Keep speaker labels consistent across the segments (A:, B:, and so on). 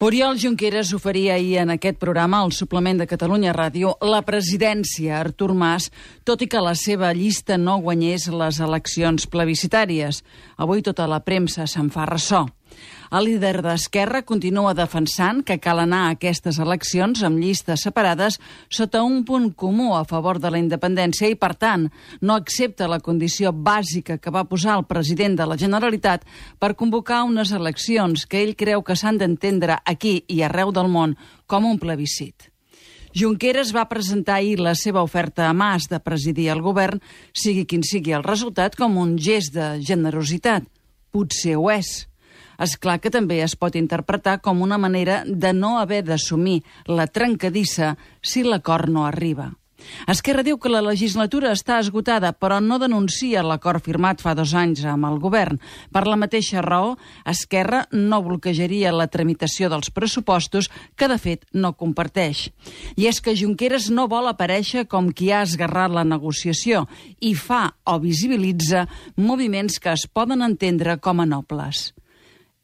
A: Oriol Junqueras oferia ahir en aquest programa, al suplement de Catalunya Ràdio, la presidència a Artur Mas, tot i que la seva llista no guanyés les eleccions plebiscitàries. Avui tota la premsa se'n fa ressò. El líder d'Esquerra continua defensant que cal anar a aquestes eleccions amb llistes separades sota un punt comú a favor de la independència i, per tant, no accepta la condició bàsica que va posar el president de la Generalitat per convocar unes eleccions que ell creu que s'han d'entendre aquí i arreu del món com un plebiscit. Junqueras va presentar ahir la seva oferta a Mas de presidir el govern, sigui quin sigui el resultat, com un gest de generositat. Potser ho és. És clar que també es pot interpretar com una manera de no haver d'assumir la trencadissa si l'acord no arriba. Esquerra diu que la legislatura està esgotada, però no denuncia l'acord firmat fa 2 anys amb el govern. Per la mateixa raó, Esquerra no bloquejaria la tramitació dels pressupostos, que de fet no comparteix. I és que Junqueras no vol aparèixer com qui ha esgarrat la negociació i fa o visibilitza moviments que es poden entendre com a nobles.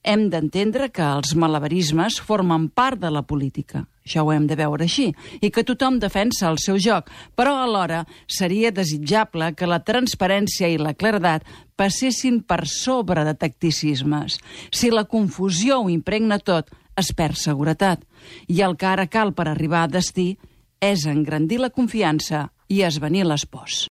A: Hem d'entendre que els malabarismes formen part de la política. Això ho hem de veure així, i que tothom defensa el seu joc, però alhora seria desitjable que la transparència i la claredat passessin per sobre de tacticismes. Si la confusió ho impregna tot, es perd seguretat. I el que ara cal per arribar a destí és engrandir la confiança i esvanir les pors.